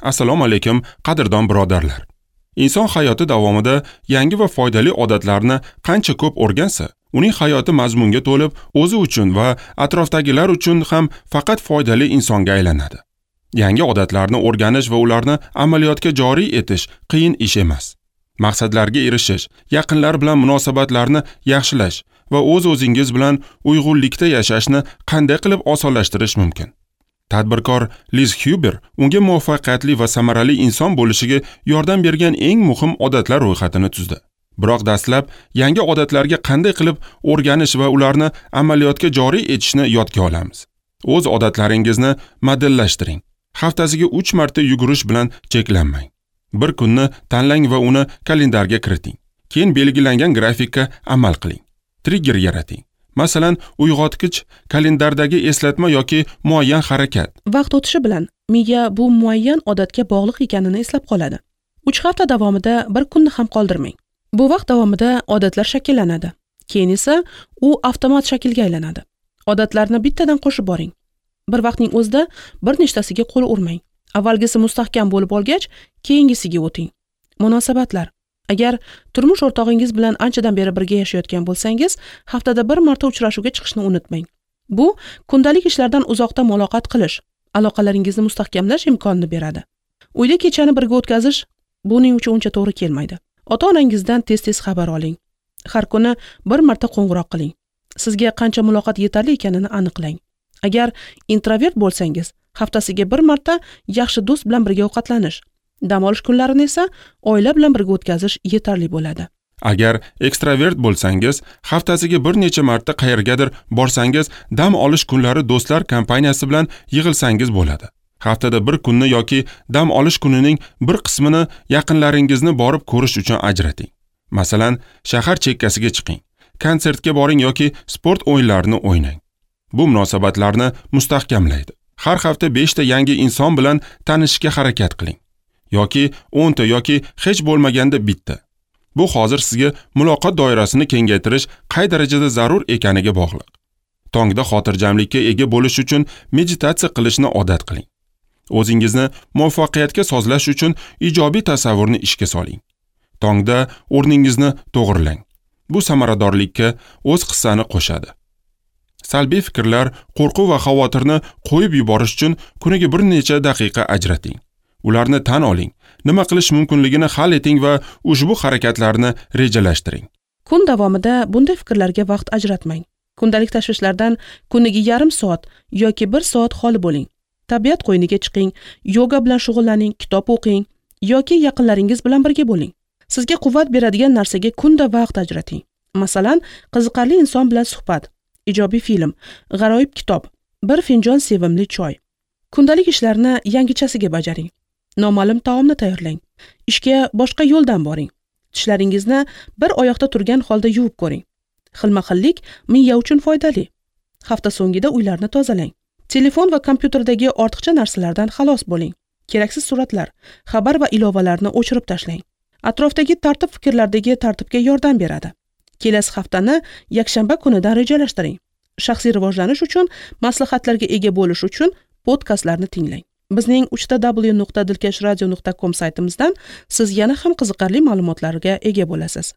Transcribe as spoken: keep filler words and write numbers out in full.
Assalomu alaykum, qadrdon birodarlar. Inson hayoti davomida yangi va foydali odatlarni qancha ko'p o'rgansa, uning hayoti mazmunga to'lib, o'zi uchun va atrofdagilar uchun ham faqat foydali insonga aylanadi. Yangi odatlarni o'rganish va ularni amaliyotga joriy etish qiyin ish emas. Maqsadlarga erishish, yaqinlar bilan munosabatlarni yaxshilash va o'z-o'zingiz bilan uyg'unlikda yashashni qanday qilib osonlashtirish mumkin? Tadbirkor Liz Huber unga muvaffaqiyatli va samarali inson bo'lishiga yordam bergan eng muhim odatlar ro'yxatini tuzdi. Biroq dastlab yangi odatlarga qanday qilib o'rganish va ularni amaliyotga joriy etishni yodga olamiz. O'z odatlaringizni modellashtiring. Haftasiga uch marta yugurish bilan cheklanmang. Bir kunni tanlang va uni kalendarga kiriting. Keyin belgilangan grafikka amal qiling. Trigger yarating. Masalan, uyg'otgich, kalendardagi eslatma yoki muayyan harakat. Vaqt o'tishi bilan miya bu muayyan odatga bog'liq ekanini eslab qoladi. uch hafta davomida bir kunni ham qoldirmang. Bu vaqt davomida odatlar shakllanadi. Keyin esa u avtomat shaklga aylanadi. Odatlarni bittadan qo'shib boring. Bir vaqtning o'zida bir nechtasiga qo'l urmang. Avvalgisi mustahkam bo'lib olgach, keyingisiga o'ting. Munosabatlar. Agar turmush o'rtog'ingiz bilan anchadan beri birga yashayotgan bo'lsangiz, haftada bir marta uchrashuvga chiqishni unutmang. Bu kundalik ishlardan uzoqda muloqot qilish, aloqalaringizni mustahkamlash imkonini beradi. Uyda kechani birga o'tkazish buning uchun uncha to'g'ri kelmaydi. Ota-onangizdan tez-tez xabar oling. Har kuni bir marta qo'ng'iroq qiling. Sizga qancha muloqot yetarli ekanini aniqlang. Agar introvert bo'lsangiz, haftasiga bir marta yaxshi do'st bilan birga ovqatlanish, dam olish kunlarini esa oila bilan birga o'tkazish yetarli bo'ladi. Agar ekstravert bo'lsangiz, haftasiga bir necha marta qayergadir borsangiz, dam olish kunlari do'stlar kompaniyasi bilan yig'ilsangiz bo'ladi. Haftada bir kunni yoki dam olish kunining bir qismini yaqinlaringizni borib ko'rish uchun ajrating. Masalan, shahar chekkasiga chiqing, konsertga boring yoki sport o'yinlarini o'ynang. Bu munosabatlarni mustahkamlaydi. Har hafta besh ta yangi inson bilan tanishishga harakat qiling. Yoki o'n ta yoki hech bo'lmaganda bitta. Bu hozir sizga muloqot doirasini kengaytirish qay darajada zarur ekaniga bog'liq. Tongda xotirjamlikka ega bo'lish uchun meditatsiya qilishni odat qiling. O'zingizni muvaffaqiyatga sozlash uchun ijobiy tasavvurni ishga soling. Tongda o'rningizni to'g'rilang. Bu samaradorlikka o'z hissani qo'shadi. Salbiy fikrlar, qo'rquv va xavotirni qo'yib yuborish uchun kuniga bir necha daqiqa ajrating. Ularni tan oling, nima qilish mumkinligini hal eting va ushbu harakatlarni rejalashtiring. Kun davomida bunday fikrlarga vaqt ajratmang. Kundalik tashvishlardan kuniga yarim soat yoki bir soat xoli bo'ling. Tabiat qo'yniga chiqing, yoga bilan shug'ullaning, kitob o'qing yoki yaqinlaringiz bilan birga bo'ling. Sizga quvvat beradigan narsaga kunda vaqt ajrating. Masalan, qiziqarli inson bilan suhbat, ijobiy film, g'aroyib kitob, bir finjon sevimli choy. Kundalik ishlarni yangichasiga bajaring. Noma'lum taomni tayyorlang. Ishga boshqa yo'ldan boring. Tishlaringizni bir oyoqda turgan holda yuvib ko'ring. Xilma-xillik miya uchun foydali. Hafta so'ngida uylarni tozalang. Telefon va kompyuterdagi ortiqcha narsalardan xalos bo'ling. Keraksiz suratlar, xabar va ilovalarni o'chirib tashlang. Atrofdagi tartib fikrlardagi tartibga yordam beradi. Kelasi haftani yakshanba kunidan rejalashtiring. Shaxsiy rivojlanish uchun maslahatlarga ega bo'lish uchun podkastlarni tinglang. Bizning uch ta w nuqta dilkash radio nuqta com saytimizdan siz yana ham qiziqarli ma'lumotlarga ega bo'lasiz.